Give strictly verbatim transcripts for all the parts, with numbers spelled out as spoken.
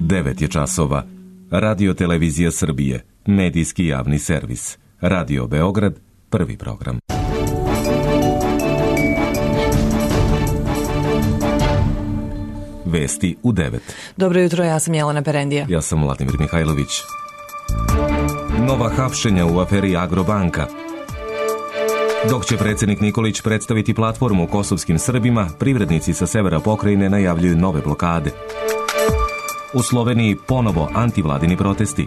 devet je časova. Radio Televizija Srbije, medijski javni servis. Radio Beograd, prvi program. Vesti u devet. Dobro jutro, ja sam Jelena Perendija. Ja sam Vladimir Mihajlović. Nova hapšenja u aferi Agrobanka. Dok će predsjednik Nikolić predstaviti platformu kosovskim Srbima, privrednici sa severa pokrajine najavljuju nove blokade. U Sloveniji ponovo antivladini protesti.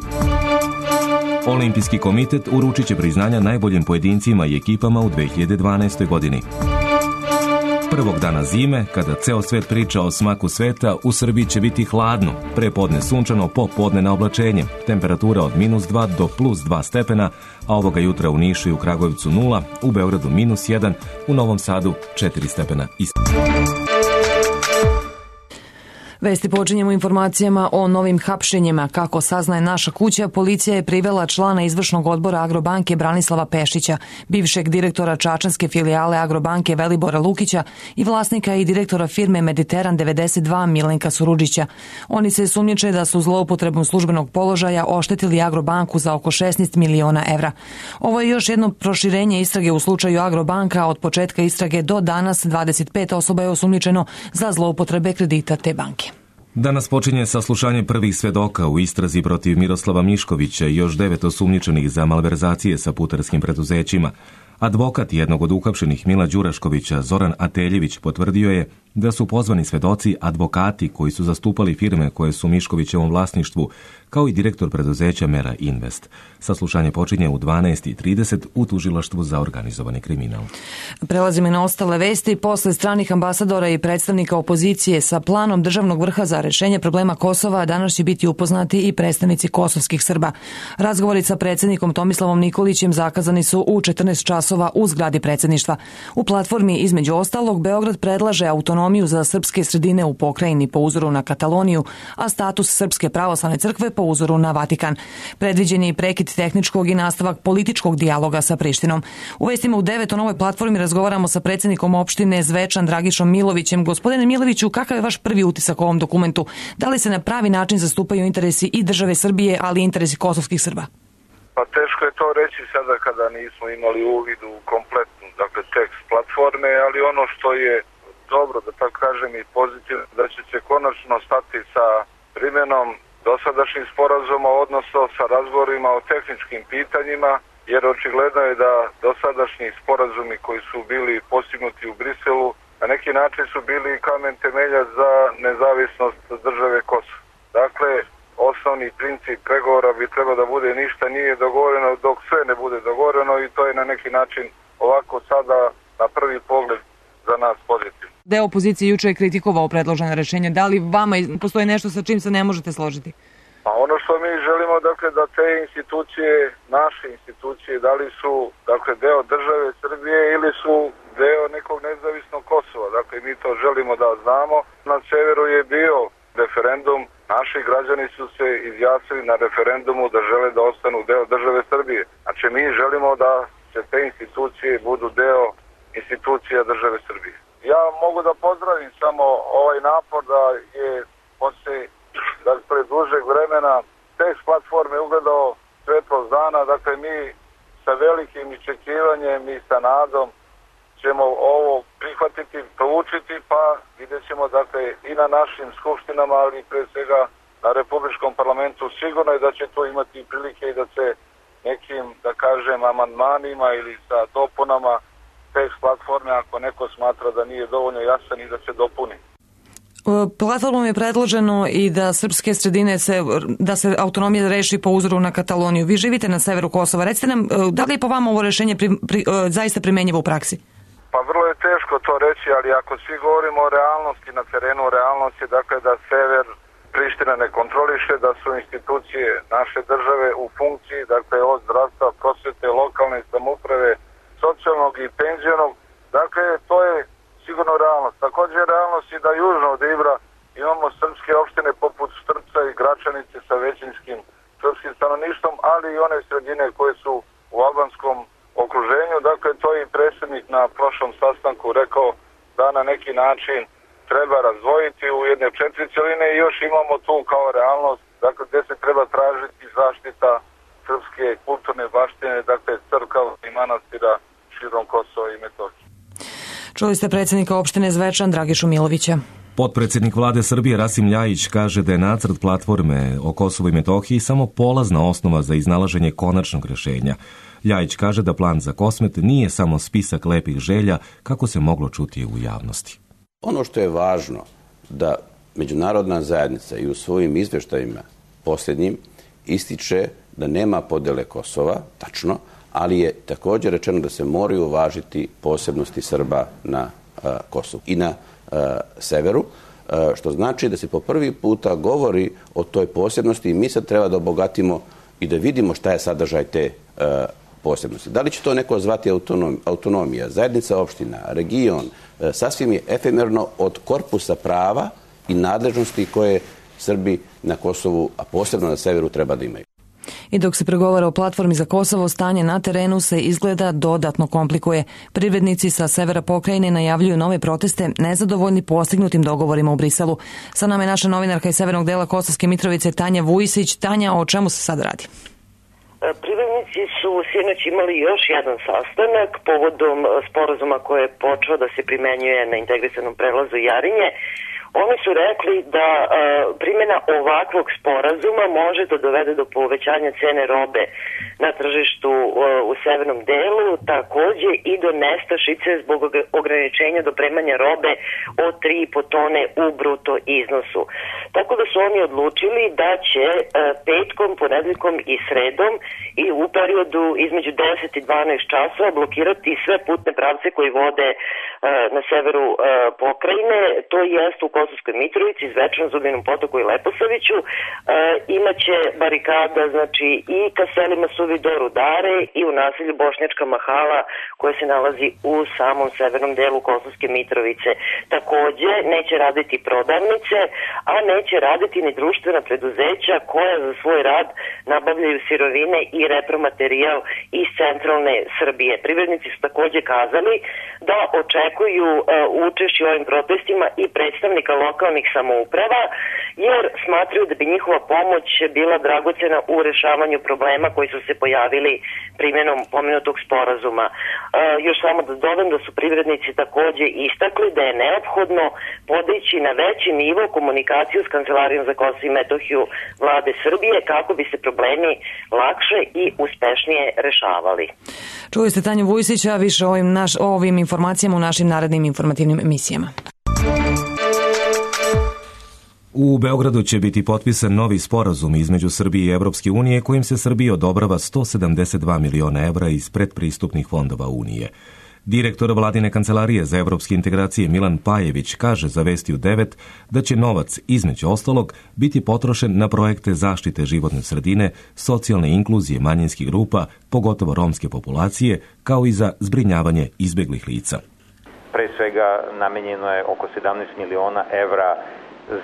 Olimpijski komitet uručit će priznanja najboljim pojedincima i ekipama u dve hiljade dvanaestoj. godini. Prvog dana zime, kada ceo svet priča o smaku sveta, u Srbiji će biti hladno. Prepodne sunčano, popodne na oblačenje. Temperatura od minus dva do plus dva stepena, a ovoga jutra u Nišu i u Kragujevcu nula, u Beogradu minus jedan, u Novom Sadu četiri stepena ispod. Vesti počinjemo informacijama o novim hapšenjima. Kako saznaje Naša kuća, policija je privela člana izvršnog odbora Agrobanke Branislava Pešića, bivšeg direktora čačanske filijale Agrobanke Velibora Lukića i vlasnika i direktora firme Mediteran devedeset dva Milenka Surudžića. Oni se sumnjiče da su zloupotrebom službenog položaja oštetili Agrobanku za oko šesnaest miliona evra. Ovo je još jedno proširenje istrage u slučaju Agrobanka. Od početka istrage do danas dvadeset pet osoba je osumnjičeno za zloupotrebe kredita te banke. Danas počinje saslušanje prvih svedoka u istrazi protiv Miroslava Miškovića i još devet osumnjičenih za malverzacije sa putarskim preduzećima. Advokat jednog od uhapšenih Mila Đuraškovića, Zoran Ateljević, potvrdio je da su pozvani svedoci advokati koji su zastupali firme koje su u Miškovićevom vlasništvu, kao i direktor preduzeća Mera Invest. Saslušanje počinje u dvanaest i trideset u tužilaštvu za organizovani kriminal. Prelazimo na ostale vesti. Posle stranih ambasadora i predstavnika opozicije sa planom državnog vrha za rešenje problema Kosova, danas će biti upoznati i predstavnici kosovskih Srba. Razgovori sa predsjednikom Tomislavom Nikolićem zakazani su u četrnaest časova u zgradi predsjedništva. U platformi, između ostalog, Beograd predlaže autonomiju za srpske sredine u pokrajini po uzoru na Kataloniju, a status Srpske pravoslavne crkve po uzoru na Vatikan. Predviđen je i prekid tehničkog i nastavak političkog dijaloga sa Prištinom. U vestima u devet o novoj platformi razgovaramo sa predsjednikom opštine Zvečan Dragišom Milovićem. Gospodine Miloviću, kakav je vaš prvi utisak o ovom dokumentu? Da li se na pravi način zastupaju interesi i države Srbije, ali i interesi kosovskih Srba? Pa teško je to reći sada kada nismo imali uvid u kompletnu, dakle, tekst platforme, ali ono što je dobro, da tako kažem, i pozitivno, da će se konačno stati sa primjenom dosadašnjih sporazuma, odnosno sa razgovorima o tehničkim pitanjima, jer očigledno je da dosadašnji sporazumi koji su bili postignuti u Briselu na neki način su bili kamen temeljac za nezavisnost države Kosovo. Dakle, osnovni princip pregovora bi trebao da bude ništa nije dogovoreno dok sve ne bude dogovoreno, i to je na neki način ovako sada na prvi pogled za nas pozitivno. Deo opozicije juče je kritikovao predložene rešenja. Da li vama postoji nešto sa čim se ne možete složiti? Pa ono što mi želimo, dakle, da te institucije, naše institucije, da li su, dakle, deo države Srbije ili su deo nekog nezavisnog Kosova. Dakle, mi to želimo da znamo. Na severu je bio referendum, naši građani su se izjasnili na referendumu da žele da ostanu deo države Srbije. Znači, mi želimo da se te institucije budu deo institucija države Srbije. Ja mogu da pozdravim samo ovaj napor da je posle, dakle, dužeg vremena tekst platforme ugledao svetlost dana. Dakle, mi sa velikim iščekivanjem i sa nadom ćemo ovo prihvatiti, proučiti, pa vidjet ćemo, dakle, i na našim skupštinama, ali pre svega na Republičkom parlamentu. Sigurno je da će to imati prilike i da se nekim, da kažem, amandmanima ili sa dopunama tekst platforme, ako neko smatra da nije dovoljno jasan, i da se dopuni. Platformom je predloženo i da srpske sredine se, da se autonomija reši po uzoru na Kataloniju. Vi živite na severu Kosova. Recite nam, da li je po vama ovo rešenje pri, pri, zaista primenjivo u praksi? Pa vrlo je teško to reći, ali ako svi govorimo o realnosti na terenu, realnost je, dakle, da sever Priština ne kontroliše, da su institucije naše države u funkciji, dakle, od zdravstva, prosvete, lokalne samouprave, socijalnog i penzionog. Dakle, to je sigurno realnost. Također je realnost i da južno od Ibra imamo srpske opštine poput Štrpca i Gračanice sa većinskim srpskim stanovništvom, ali i one sredine koje su u albanskom okruženju. Dakle, to je i predsjednik na prošlom sastanku rekao, da na neki način treba razdvojiti u jedne četiri cjeline i još imamo tu kao realnost, dakle, gdje se treba tražiti zaštita srpske kulturne baštine, dakle, crkava i manastira širom Kosova i Metohije. Čuli ste predsjednika opštine Zvečan Dragišu Milovića. Potpredsjednik vlade Srbije Rasim Ljajić kaže da je nacrt platforme o Kosovu i Metohiji samo polazna osnova za iznalaženje konačnog rješenja. Ljajić kaže da plan za Kosmet nije samo spisak lepih želja kako se moglo čuti u javnosti. Ono što je važno da međunarodna zajednica i u svojim izvještajima posljednjim ističe da nema podjele Kosova, tačno, ali je također rečeno da se moraju uvažiti posebnosti Srba na a, Kosovu i na a, severu, a, što znači da se po prvi puta govori o toj posebnosti i mi sad treba da obogatimo i da vidimo šta je sadržaj te a, posebnosti. Da li će to neko zvati autonom, autonomija, zajednica opština, region, a, sasvim je efemerno od korpusa prava i nadležnosti koje Srbi na Kosovu, a posebno na severu, treba da imaju. I dok se pregovara o platformi za Kosovo, stanje na terenu se izgleda dodatno komplikuje. Privrednici sa severa pokrajine najavljuju nove proteste, nezadovoljni postignutim dogovorima u Briselu. Sa nama je naša novinarka iz severnog dela Kosovske Mitrovice Tanja Vujisić. Tanja, o čemu se sad radi? Privrednici su sinoć imali još jedan sastanak povodom sporazuma koji je počeo da se primenjuje na integrisanom prelazu Jarinje. Oni su rekli da uh, primjena ovakvog sporazuma može da dovede do povećanja cene robe na tržištu uh, u severnom delu, takođe i do nestašice zbog ograničenja dopremanja robe od tri i po tone u bruto iznosu. Tako da su oni odlučili da će uh, petkom, ponedeljkom i sredom i u periodu između deset i dvanaest časova blokirati sve putne pravce koji vode uh, na severu uh, pokrajine, to jest u Kosovskoj Mitrovici, Zvečanu, Zubinom Potoku i Leposaviću. E, imaće barikada, znači, i ka selima Suvi do Rudare i u naselju Bošnjačka Mahala koje se nalazi u samom severnom delu Kosovske Mitrovice. Takođe, neće raditi prodavnice, a neće raditi ni društvena preduzeća koja za svoj rad nabavljaju sirovine i repromaterijal iz centralne Srbije. Privrednici su takođe kazali da očekuju e, učešće u ovim protestima i predstavnika lokalnih samouprava, jer smatraju da bi njihova pomoć bila dragocena u rešavanju problema koji su se pojavili primjenom pomenutog sporazuma. E, još samo da dodam da su privrednici takođe istakli da je neophodno podići na veći nivo komunikaciju s Kancelarijom za Kosovo i Metohiju vlade Srbije kako bi se problemi lakše i uspešnije rešavali. Čuli ste Tanju Vujsića, više o ovim, naš, o ovim informacijama u našim narednim informativnim emisijama. U Beogradu će biti potpisan novi sporazum između Srbije i Evropske unije kojim se Srbiji odobrava sto sedamdeset dva miliona evra iz predpristupnih fondova Unije. Direktor vladine kancelarije za evropske integracije Milan Pajević kaže za Vesti u devet da će novac, između ostalog, biti potrošen na projekte zaštite životne sredine, socijalne inkluzije manjinskih grupa, pogotovo romske populacije, kao i za zbrinjavanje izbeglih lica. Pre svega namenjeno je oko sedamnaest miliona evra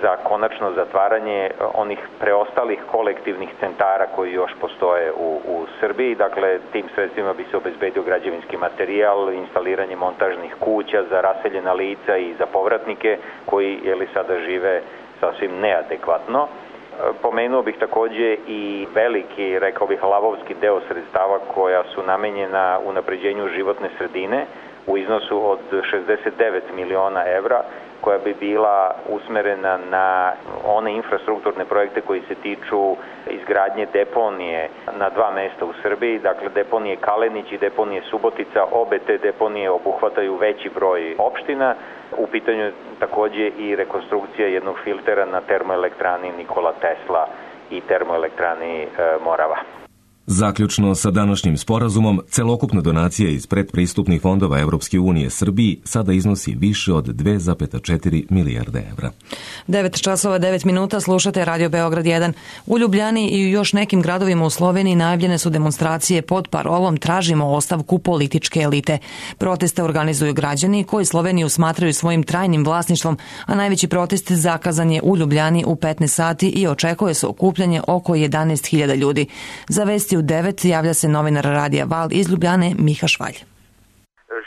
za konačno zatvaranje onih preostalih kolektivnih centara koji još postoje u, u Srbiji. Dakle, tim sredstvima bi se obezbedio građevinski materijal, instaliranje montažnih kuća za raseljena lica i za povratnike koji jeli, sada žive sasvim neadekvatno. Pomenuo bih takođe i veliki, rekao bih, lavovski deo sredstava koja su namenjena unapređenju životne sredine u iznosu od šezdeset devet miliona evra, koja bi bila usmerena na one infrastrukturne projekte koji se tiču izgradnje deponije na dva mesta u Srbiji, dakle deponije Kalenić i deponije Subotica. Obe te deponije obuhvataju veći broj opština. U pitanju je takođe i rekonstrukcija jednog filtera na termoelektrani Nikola Tesla i termoelektrani e, Morava. Zaključno sa današnjim sporazumom, celokupna donacija iz predpristupnih fondova Evropske unije Srbiji sada iznosi više od dve zarez četiri milijarde evra. devet časova devet minuta, slušate Radio Beograd jedan. U Ljubljani i u još nekim gradovima u Sloveniji najavljene su demonstracije pod parolom Tražimo ostavku političke elite. Proteste organizuju građani koji Sloveniju smatraju svojim trajnim vlasništvom, a najveći protest zakazan je u Ljubljani u petnaest sati i očekuje se okupljanje oko jedanaest hiljada ljudi. Za Vesti u devet javlja se novinar Radija Val iz Ljubljane Miha Švalj.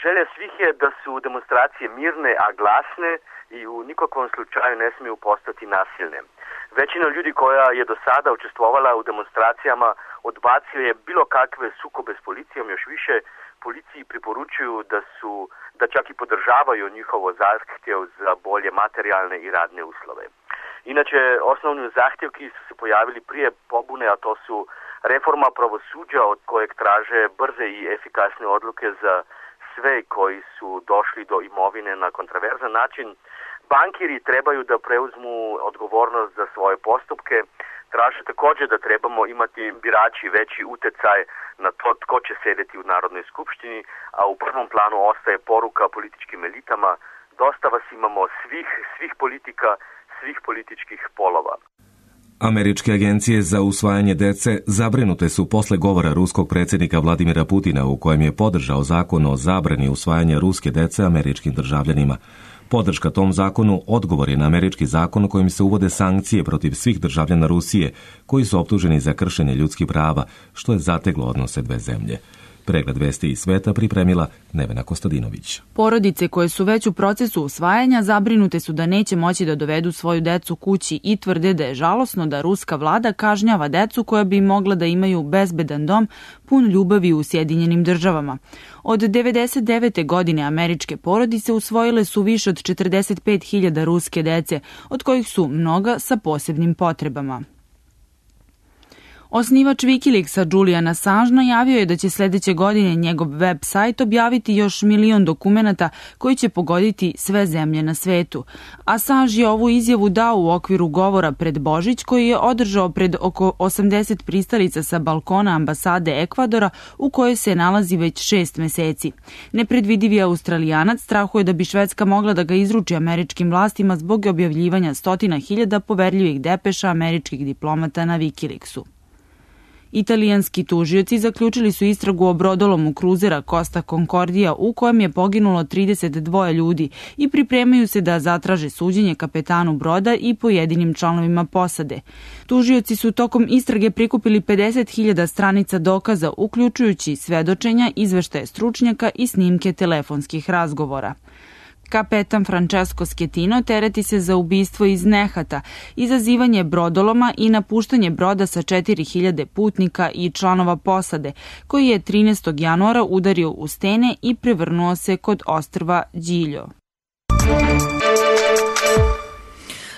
Želja svih je da su demonstracije mirne, a glasne, i u nikakvom slučaju ne smiju postati nasilne. Većina ljudi koja je do sada učestvovala u demonstracijama odbacio je bilo kakve sukobe s policijom, još više policiji preporučuju da su, da čak i podržavaju njihovo zahtjev za bolje materijalne i radne uslove. Inače, osnovni zahtjevki su se pojavili prije pobune, a to su reforma pravosuđa od kojeg traže brze i efikasne odluke za sve koji su došli do imovine na kontroverzan način. Bankiri trebaju da preuzmu odgovornost za svoje postupke. Traže također da trebamo imati birači veći utjecaj na to tko će sedeti u Narodnoj skupštini, a u prvom planu ostaje poruka političkim elitama: dosta vas imamo svih, svih politika, svih političkih polova. Američke agencije za usvajanje dece zabrinute su posle govora ruskog predsjednika Vladimira Putina u kojem je podržao zakon o zabrani usvajanja ruske dece američkim državljanima. Podrška tom zakonu odgovor je na američki zakon kojim se uvode sankcije protiv svih državljana Rusije koji su optuženi za kršenje ljudskih prava, što je zateglo odnose dve zemlje. Pregled vesti iz sveta pripremila Nevena Kostadinović. Porodice koje su već u procesu usvajanja zabrinute su da neće moći da dovedu svoju decu kući i tvrde da je žalosno da ruska vlada kažnjava decu koja bi mogla da imaju bezbedan dom pun ljubavi u Sjedinjenim državama. Od devedeset devete godine američke porodice usvojile su više od četrdeset pet hiljada ruske dece, od kojih su mnoga sa posebnim potrebama. Osnivač Wikileaksa Julian Assange najavio je da će sljedeće godine njegov web sajt objaviti još milion dokumenata koji će pogoditi sve zemlje na svetu. Assange je ovu izjavu dao u okviru govora pred Božić koji je održao pred oko osamdeset pristalica sa balkona ambasade Ekvadora u kojoj se nalazi već šest meseci. Nepredvidivi Australijanac strahuje da bi Švedska mogla da ga izruči američkim vlastima zbog objavljivanja stotina hiljada poverljivih depeša američkih diplomata na Wikileaksu. Italijanski tužioci zaključili su istragu o brodolomu kruzera Costa Concordia u kojem je poginulo trideset dva ljudi i pripremaju se da zatraže suđenje kapetanu broda i pojedinim članovima posade. Tužioci su tokom istrage prikupili pedeset hiljada stranica dokaza, uključujući svedočenja, izveštaje stručnjaka i snimke telefonskih razgovora. Kapetan Francesco Schettino tereti se za ubistvo iz nehata, izazivanje brodoloma i napuštanje broda sa četiri hiljade putnika i članova posade, koji je trinaestog januara udario u stene i prevrnuo se kod ostrva Điljo.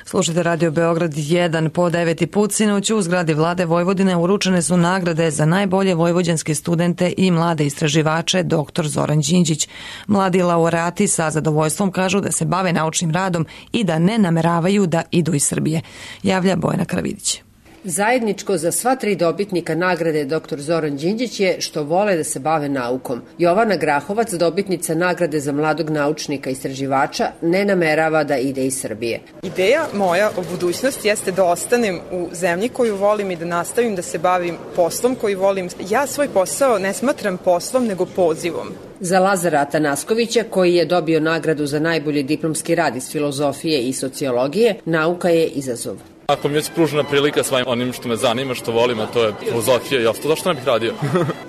Slušajte Radio Beograd jedan. Po deveti put sinoć u zgradi Vlade Vojvodine uručene su nagrade za najbolje vojvođanske studente i mlade istraživače doktor Zoran Đinđić. Mladi laureati sa zadovoljstvom kažu da se bave naučnim radom i da ne nameravaju da idu iz Srbije. Javlja Bojana Kravidić. Zajedničko za sva tri dobitnika nagrade doktor Zoran Đinđić je što vole da se bave naukom. Jovana Grahovac, dobitnica nagrade za mladog naučnika istraživača, ne namerava da ide iz Srbije. Ideja moja o budućnosti jeste da ostanem u zemlji koju volim i da nastavim da se bavim poslom koji volim. Ja svoj posao ne smatram poslom, nego pozivom. Za Lazara Atanaskovića, koji je dobio nagradu za najbolji diplomski rad iz filozofije i sociologije, nauka je izazov. Ako mi je pružena prilika svojim onim što me zanima, što volim, a to je filozofija i ostalo, zašto ne bih radio?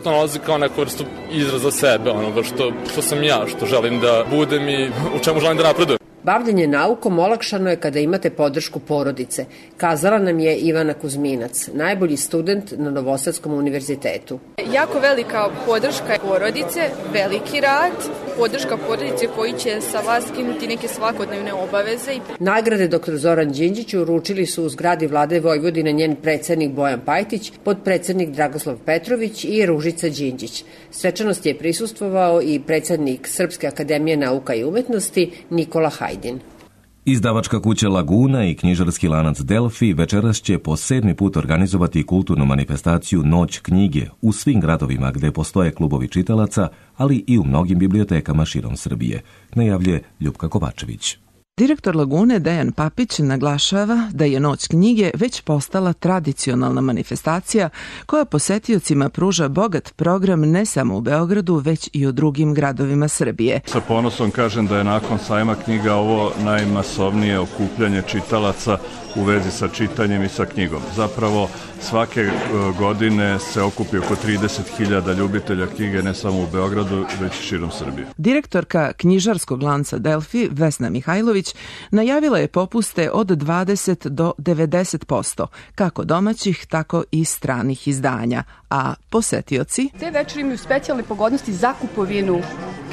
To nalazi kao neku vrstu izraza sebe, onoga što, što sam ja, što želim da budem i u čemu želim da napredujem. Bavljenje naukom olakšano je kada imate podršku porodice, kazala nam je Ivana Kuzminac, najbolji student na Novosadskom univerzitetu. Jako velika podrška porodice, veliki rad, podrška porodice koji će sa vas skinuti neke svakodnevne obaveze. Nagrade doktor Zoran Đinđić uručili su u zgradi Vlade Vojvodine njen predsednik Bojan Pajtić, podpredsednik Dragoslav Petrović i Ružica Đinđić. Svečanosti je prisustvovao i predsednik Srpske akademije nauka i umetnosti Nikola Hajdin. Izdavačka kuća Laguna i knjižarski lanac Delfi večeras će po sedmi put organizovati kulturnu manifestaciju Noć knjige u svim gradovima gde postoje klubovi čitalaca, ali i u mnogim bibliotekama širom Srbije, najavljuje Ljupka Kovačević. Direktor Lagune Dejan Papić naglašava da je Noć knjige već postala tradicionalna manifestacija koja posetiocima pruža bogat program ne samo u Beogradu, već i u drugim gradovima Srbije. Sa ponosom kažem da je nakon sajma knjiga ovo najmasovnije okupljanje čitalaca u vezi sa čitanjem i sa knjigom. Zapravo svake godine se okupi oko trideset hiljada ljubitelja knjige ne samo u Beogradu, već i širom Srbije. Direktorka knjižarskog lanca Delfi, Vesna Mihajlović, najavila je popuste od dvadeset do devedeset posto, kako domaćih, tako i stranih izdanja, a posetioci... Te večeri imaju specijalne pogodnosti za kupovinu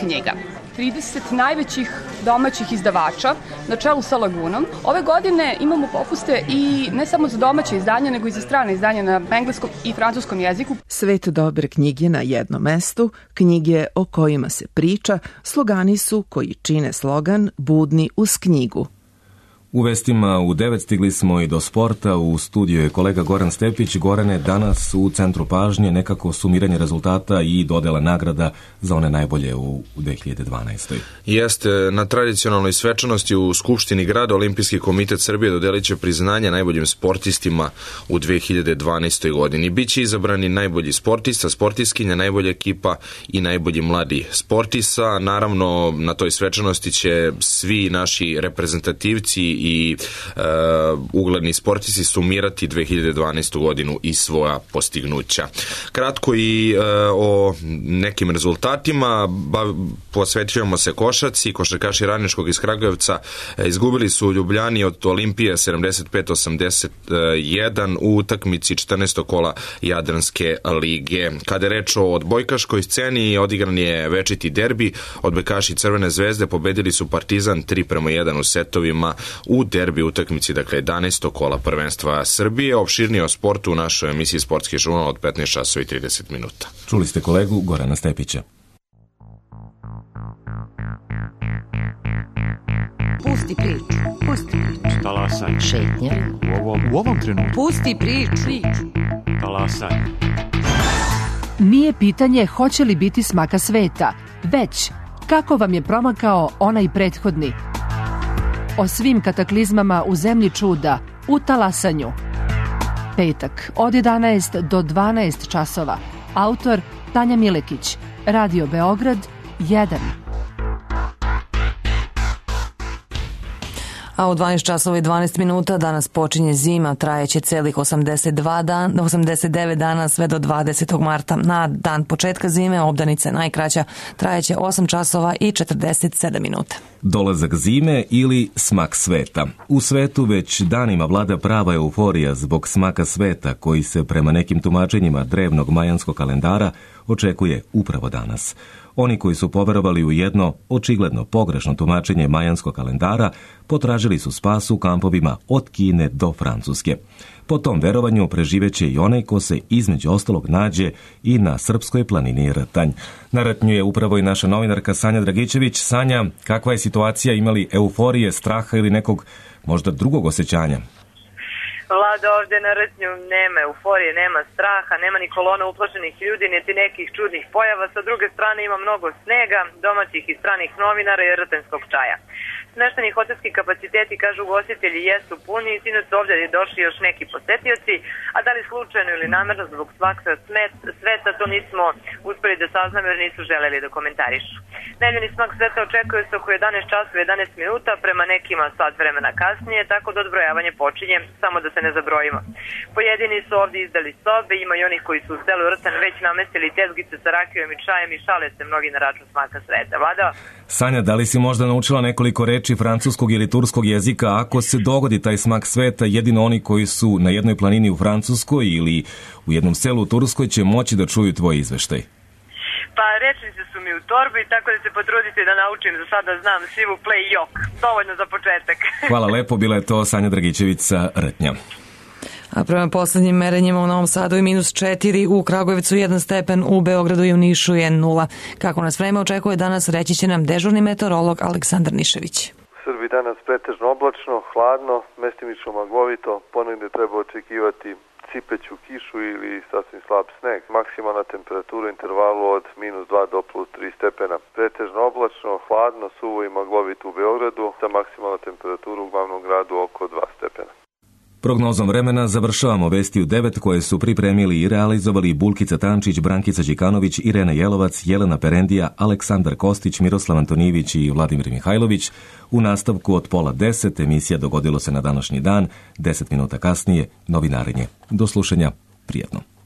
knjiga. trideset najvećih domaćih izdavača na čelu sa Lagunom. Ove godine imamo popuste i ne samo za domaće izdanja, nego i za strane izdanja na engleskom i francuskom jeziku. Svet dobre knjige na jednom mestu, knjige o kojima se priča, slogani su koji čine slogan Budni uz knjigu. U vestima u devet stigli smo i do sporta. U studiju je kolega Goran Stepić. Gorane, danas u centru pažnje nekako sumiranje rezultata i dodela nagrada za one najbolje u dve hiljade dvanaestoj. Jeste, na tradicionalnoj svečanosti u Skupštini grada Olimpijski komitet Srbije dodelit će priznanje najboljim sportistima u dve hiljade dvanaestoj godini. Biće izabrani najbolji sportista, sportistkinja, najbolja ekipa i najbolji mladi sportista. Naravno, na toj svečanosti će svi naši reprezentativci i e, ugledni sportisti sumirati dve hiljade dvanaestu godinu i svoja postignuća. Kratko i e, o nekim rezultatima. Ba, posvećujemo se košarci. Košarkaši Radničkog iz Kragujevca e, izgubili su u Ljubljani od Olimpije sedamdeset pet osamdeset jedan u utakmici četrnaestog kola Jadranske lige. Kada je reč o odbojkaškoj sceni, odigran je večiti derbi. Odbojkaši Crvene zvezde pobedili su Partizan tri prema jedan u setovima u derbi utakmici, dakle jedanaestog kola prvenstva Srbije. Opširnije o sportu u našoj emisiji Sportski žurnal od petnaest časova i trideset minuta. Čuli ste kolegu Gorana Stepića. Pusti priču. Pusti priču. Talasaj. Šetnja. U ovom, u ovom trenutku. Pusti priču. Talasaj. Nije pitanje hoće li biti smaka sveta, već kako vam je promakao onaj prethodni. O svim kataklizmama u zemlji čuda, u talasanju. Petak od jedanaest do dvanaest časova. Autor Tanja Milekić. Radio Beograd jedan. A u dvanaest časova i dvanaest minuta danas počinje zima, trajeće celih osamdeset dva dan, osamdeset devet dana sve do dvadesetog marta. Na dan početka zime obdanica najkraća, trajeće osam časova i četrdeset sedam minuta. Dolazak zime ili smak sveta. U svetu već danima vlada prava euforija zbog smaka sveta koji se prema nekim tumačenjima drevnog majanskog kalendara očekuje upravo danas. Oni koji su poverovali u jedno očigledno pogrešno tumačenje majanskog kalendara potražili su spas u kampovima od Kine do Francuske. Po tom verovanju preživeće i onaj ko se između ostalog nađe i na srpskoj planini Rtanj. Na Rtnju je upravo i naša novinarka Sanja Dragičević. Sanja, kakva je situacija, imali euforije, straha ili nekog možda drugog osjećanja? Vlada, ovdje na Rtnju nema euforije, nema straha, nema ni kolona uplašenih ljudi, niti nekih čudnih pojava. Sa druge strane ima mnogo snega, domaćih i stranih novinara i rtenskog čaja. Smešteni hotelski kapaciteti, kažu ugostitelji, jesu puni i sinoć su ovdje došli još neki posetioci, a da li slučajno ili namerno zbog svaksa sveta, to nismo uspeli da saznamo jer nisu želeli da komentarišu. Najavljeni smak sveta očekuje se oko jedanaest časova i jedanaest minuta, prema nekima sat vremena kasnije, tako da odbrojavanje počinje, samo da se ne zabrojimo. Pojedini su ovdje izdali sobe, ima i onih koji su u selu Rtan već namestili tezgice sa rakijom i čajem i šale se mnogi na račun smaka sveta. Vlada? Sanja, da li si možda naučila nekoliko reči francuskog ili turskog jezika? Ako se dogodi taj smak sveta, jedino oni koji su na jednoj planini u Francuskoj ili u jednom selu u Turskoj će moći da čuju tvoj izveštaj. Pa rečnice su mi u torbi, tako da se potrudite da naučim, za sada znam sivu play jok. Dovoljno za početak. Hvala lepo, bila je to Sanja Dragičević sa Rtnja. A prema poslednjim merenjima u Novom Sadu je minus četiri, u Kragujevcu jedan stepen, u Beogradu i u Nišu je nula. Kako nas vreme očekuje danas, reći će nam dežurni meteorolog Aleksandar Nišević. Srbiji danas pretežno oblačno, hladno, mestimično maglovito, ponegde treba očekivati cipeću kišu ili sasvim slab sneg. Maksimalna temperatura u intervalu od minus dva do plus tri stepena. Pretežno oblačno, hladno, suvo i maglovito u Beogradu, sa maksimalna temperatura u glavnom gradu oko dva stepena. Prognozom vremena završavamo vesti u devet koje su pripremili i realizovali Bulkica Tančić, Brankica Đikanović, Irena Jelovac, Jelena Perendija, Aleksandar Kostić, Miroslav Antonijević i Vladimir Mihajlović. U nastavku od pola deset emisija Dogodilo se na današnji dan, deset minuta kasnije novinarenje. Do slušanja, prijatno.